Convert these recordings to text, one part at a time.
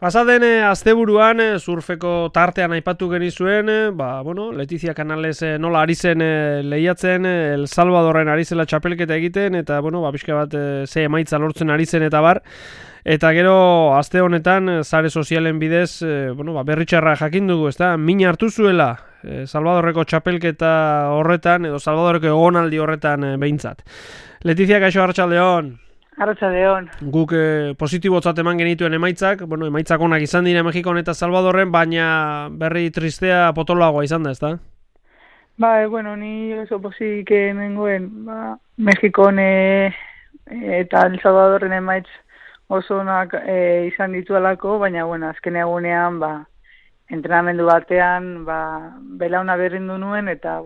Pasaden asteburuan surfeko tartean aipatu genizuen, Letizia Canales nola ari zen lehiatzen, El Salvadorren ari zela txapelketa egiten, eta pixka bat ze emaitza lortzen ari zen eta bar. Eta gero aste honetan sare sozialen bidez, berritxarra jakin dugu, ezta? Min hartu zuela Salvadorreko txapelketa horretan edo Salvadorreko egonaldi horretan behintzat. Letizia, kaixo, arratsaldeon. Arratsaldeon. Guk positibotzat eman genituen emaitzak, emaitzak onak izan dira Mexikon eta Salvadorren, baina berri tristea potoloagoa izan da, ezta? Ni oso pozik nengoen, Mexikon eta El Salvadorren emaitz oso onak izan dituelako, baina azken egunean entrenamendu batean belauna berrindu nuen eta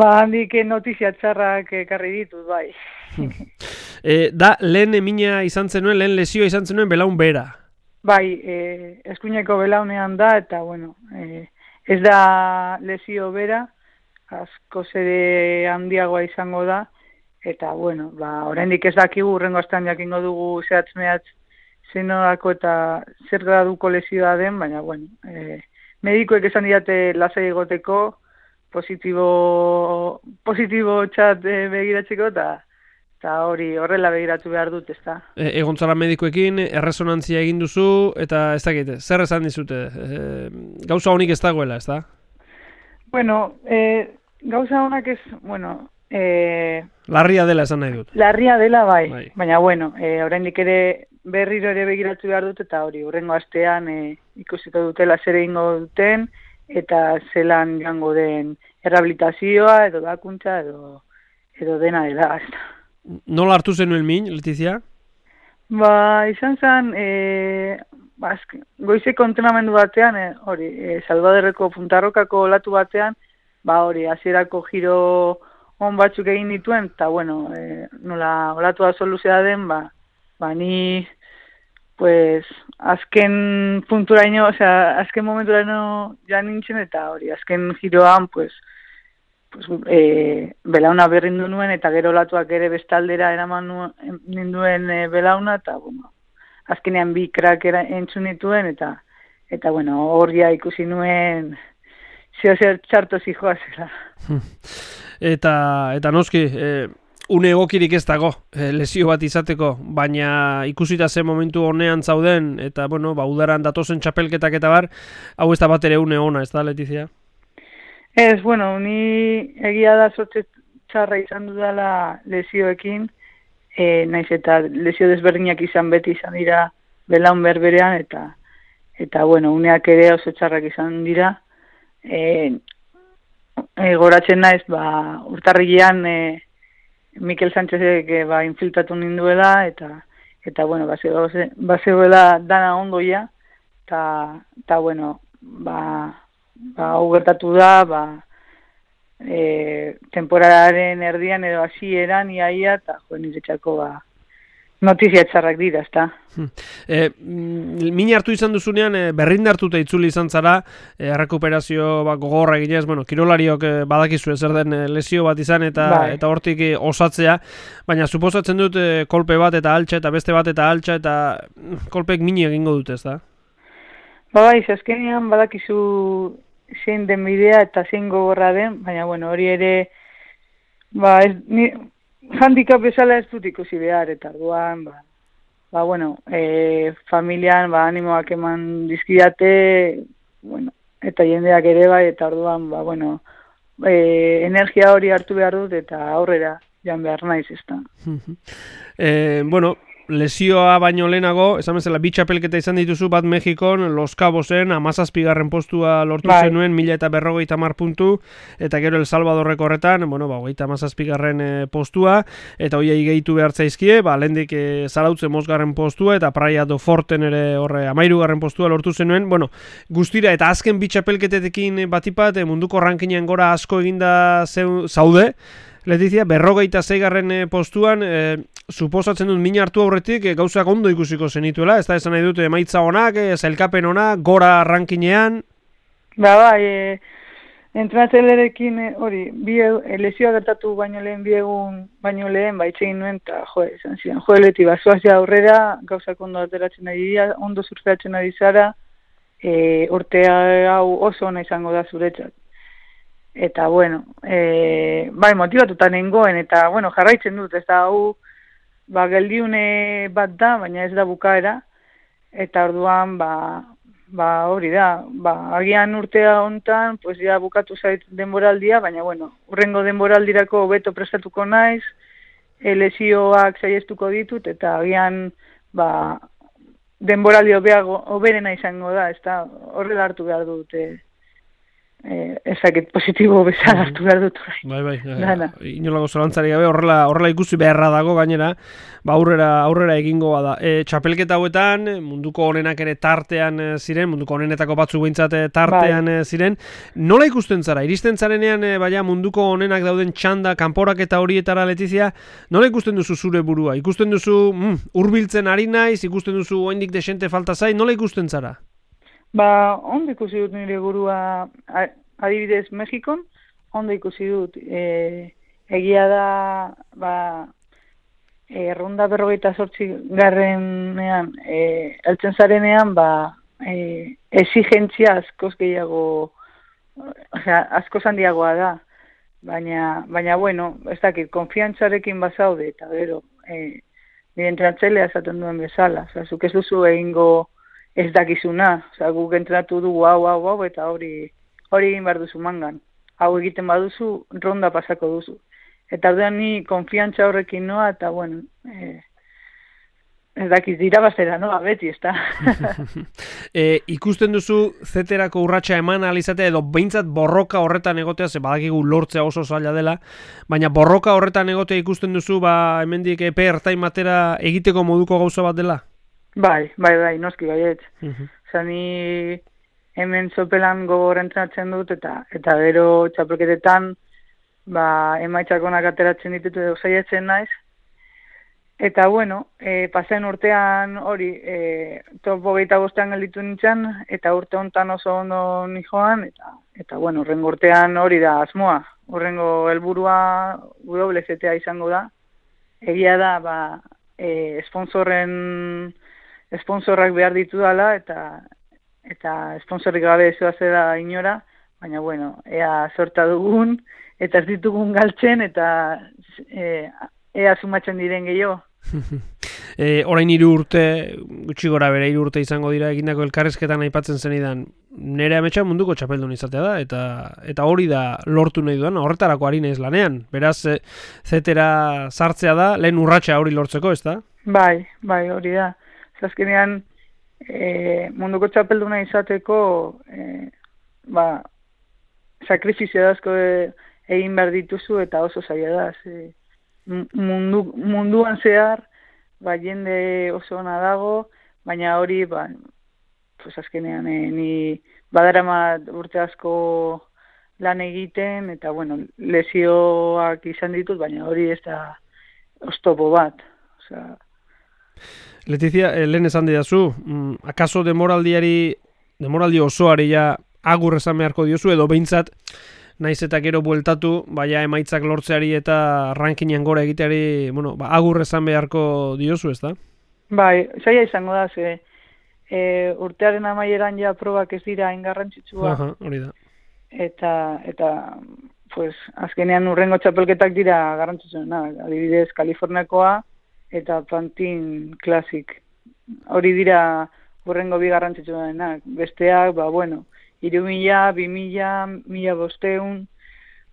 handik notizia txarrak ekarri ditut, bai. Da, lehen emina izan zenuen, lehen lesioa izan zenuen belaun bera. Bai, eskuineko belaunean da, eta ez da lesio bera, asko ere handiagoa izango da, eta oraindik ez dakigu, urrengo astean jakingo dugu zehatz-mehatz zenolako eta zer graduko lesioa den, baina medikuek esan didate lasai egoteko, positibo txat begiratzeko, eta horrela begiratu behar dut, ezta. Egon zara medikuekin, erresonantzia egin duzu, eta ez dakit, zer esan dizute? Gauza honik ez dagoela, ezta? Gauza honak ez, larria dela esan nahi dut. Larria dela, bai. Baina, oraindik ere berriro ere begiratu behar dut, eta hurrengo astean ikusiko dutela zer egingo duten, eta zelan joango den errehabilitazioa, edo bakuntza, edo dena dela, ezta. Nola hartu zenuen min, Letizia? Izan zen, goizeko entrenamendu batean, Salvadorreko Puntarrokako olatu batean, hasierako giro on batzuk egin dituen, eta nola olatua soluzea den, ni, azken punturaino, azken momenturaino ja nintzen, eta azken giroan, belauna berrindu nuen, eta gero olatuak ere bestaldera eraman ninduen belauna, eta azkenean bi krak entzun nituen, eta horria ikusi nuen zer txarto zijoa zela. Eta noski, une egokirik ez dago lesio bat izateko, baina ikusita zen momentu honean zauden, eta udaran datozen txapelketak eta bar, hau ez da bat ere une ona, ez da, Letizia? Ez, ni egia da sortze txarra izan dudala lesioekin, naiz eta lesio desberdinak beti izan dira belaun berberean, eta uneak ere oso txarrak izan dira. Goratzen naiz, urtarrilean Mikel Sánchezek infiltratu ninduela, eta bazegoela dana ondoia, eta hau gertatu da, temporararen erdian edo hasieran iaia, eta niretzako notizia txarrak dira, ezta. Min hartu izan duzunean, berrindartuta itzuli izan zara, errekuperazio gogorra eginez, kirolariok badakizu zer den lesio bat izan, eta hortik osatzea, baina suposatzen dut kolpe bat eta altxa, eta beste bat eta altxa, eta kolpek mini egingo dute, ezta? Azkenean badakizu zein den bidea eta zein gogorra den, baina hori ere handicap bezala ez dut ikusi behar, eta orduan familian animoak eman dizkidate, eta jendeak ere bai, eta orduan energia hori hartu behar dut eta aurrera joan behar naiz, ezta. Lesioa baino lehenago, esan bezala, bi txapelketa izan dituzu, bat Mexikon, Los Cabosen, 17. postua lortu zenuen, 1050 puntu, eta gero El Salvadorreko horretan, 37. postua, eta hoiei gehitu behar zaizkie, lehendik Zarautze 5. postua, eta Praia do Forten ere horre 13. postua lortu zenuen, guztira, eta azken bi txapelketetekin batipat, munduko rankinean gora asko eginda zaude, Letizia, 46. postuan, suposatzen dut min hartu aurretik gauzak ondo ikusiko zenituela, ez da esan nahi dut emaitza onak, zailkapen onak, gora rankinean? Entrenatzailearekin hori, lesioa gertatu baino lehen, bi egun baino lehen, itxegin nuen, eta esan ziren, Leti, zoaz ja aurrera, gauzak ondo ateratzen ari dira, ondo surfeatzen ari zara, urtea hau oso ona izango da zuretzat. Eta, bueno, motibatuta nengoen, eta, jarraitzen dut, ez da, hau, geldiune bat da, baina ez da bukaera, eta orduan, hori da, agian urtea hontan, pues ja bukatu zait denboraldia, baina, urrengo denboraldirako hobeto prestatuko naiz, lesioak saiestuko ditut, eta agian, denboraldi hoberena izango da, ez da, horrela hartu behar dute, ezakit positibo bezala hartu behar dut. Bai, inolako zalantzari gabe, horrela ikusi beharra dago gainera, aurrera egingoa da. Txapelketa hauetan, munduko onenak ere tartean ziren, munduko onenetako batzuk behintzat tartean ziren. Nola ikusten zara? Iristen zarenean, munduko onenak dauden txanda, kanporak eta horietara, Letizia, nola ikusten duzu zure burua? Ikusten duzu, hurbiltzen ari naiz, ikusten duzu oraindik desente falta zait, nola ikusten zara? Ondo ikusi dut nire burua, adibidez Mexikon, ondo ikusi dut. Egia da, ronda 48 garrenean, heltzen zarenean, exigentzia askoz gehiago, askoz handiagoa da. Baina, ez dakit, konfiantzarekin bazaude, eta gero, nire entrenatzailea esaten duen bezala. Zuk ez duzu egingo ez dakizuna, guk entrenatu dugu hau, eta hori egin behar duzu mangan. Hau egiten baduzu, ronda pasako duzu. Eta orduan ni konfiantza horrekin noa, eta ez dakiz dira bazera, beti, ez da. Ikusten duzu zeterako urratsa eman alizatea, edo behintzat borroka horretan egotea, ze badakigu lortzea oso zaila dela, baina borroka horretan egotea ikusten duzu, hemendik epe ertain batera egiteko moduko gauza bat dela? Bai, noski baiet. Ni hemen sopelan gogor entrenatzen dut, eta gero txapelketetan emaitzak onak ateratzen ditut edo saiatzen naiz. Eta, pasen urtean hori, top 25 gelditu nintzen, eta urte hontan oso ondo nijoan, eta urrengo urtean hori da asmoa. Urrengo helburua WZTA izango da. Egia da, sponsorrak behar ditu dela, eta sponsorrik gabe ez da inora, baina, ea sorta dugun, eta ez ditugun galtzen, eta ea sumatzen diren gehiago. Orain 3 urte, gutxi gora bere 3 urte izango dira egindako elkarrizketan aipatzen zenidan, nire ametsa munduko txapeldun izatea da, eta hori da lortu nahi duan, horretarako ari naiz lanean. Beraz, zetera sartzea da, lehen urratsa hori lortzeko, ez da? Bai, hori da. Azkenean, munduko txapelduna izateko, sakrifizio asko egin behar dituzu, eta oso zaila da. Munduan zehar, jende oso ona dago, baina hori, azkenean, ni badaramat urte asko lan egiten, eta, lesioak izan ditut, baina hori ez da oztopo bat. Letizia, lehen esan didazu, akaso demoraldi osoari ja agur esan beharko diozu, edo behintzat naiz eta gero bueltatu, emaitzak lortzeari eta rankinean gora egiteari, agur esan beharko diozu, ez da? Bai, zaila izango da, urtearen amaieran ja probak ez dira ingarrantzitsua. Hori da. Eta azkenean urrengo txapelketak dira garrantzitsuena, adibidez Kaliforniakoa, eta Pantin Classic. Hori dira urrengo bi garrantzitsuenak. Besteak, 3.000, 2.000, 1.500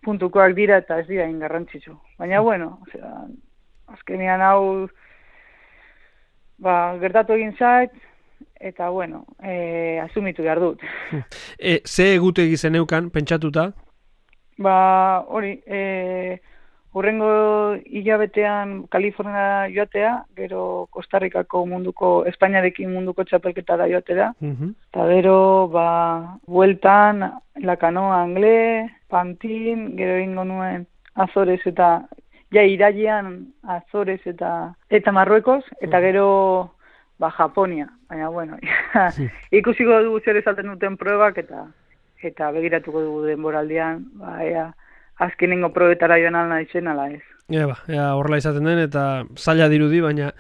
puntukoak dira eta ez dira ingarrantzitsu. Baina, azkenean hau gertatu egin zait, eta, asumitu behar dut. Ze egutegi zeneukan, pentsatuta? Hori, urrengo hilabetean Kalifornia joatea, gero Kostarrikako Espainiarekin munduko txapelketara joatea, eta gero, bueltan, Lakanoa Angle, Pantin, gero egingo nuen Azores eta, irailean Azores eta Marruekos, eta gero, Japonia. Baina, ikusiko dugu zer esaten duten probak, eta eta begiratuko dugu denboraldian, ba, ea, azkenengo probetara joan alna izen, ala ez. Ea horrela izaten den, eta zaila dirudi, baina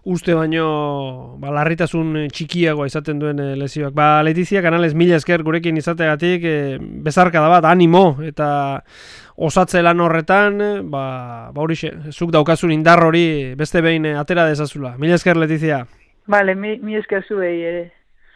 uste baino larritasun txikiagoa izaten duen lesioak. Letizia, Canales, mila esker gurekin izateagatik, bezarka da bat, animo, eta osatze lan horretan, horixe, zuk daukazun indar hori beste behin atera dezazula. Mila esker, Letizia. Vale, mi esker zuei ere.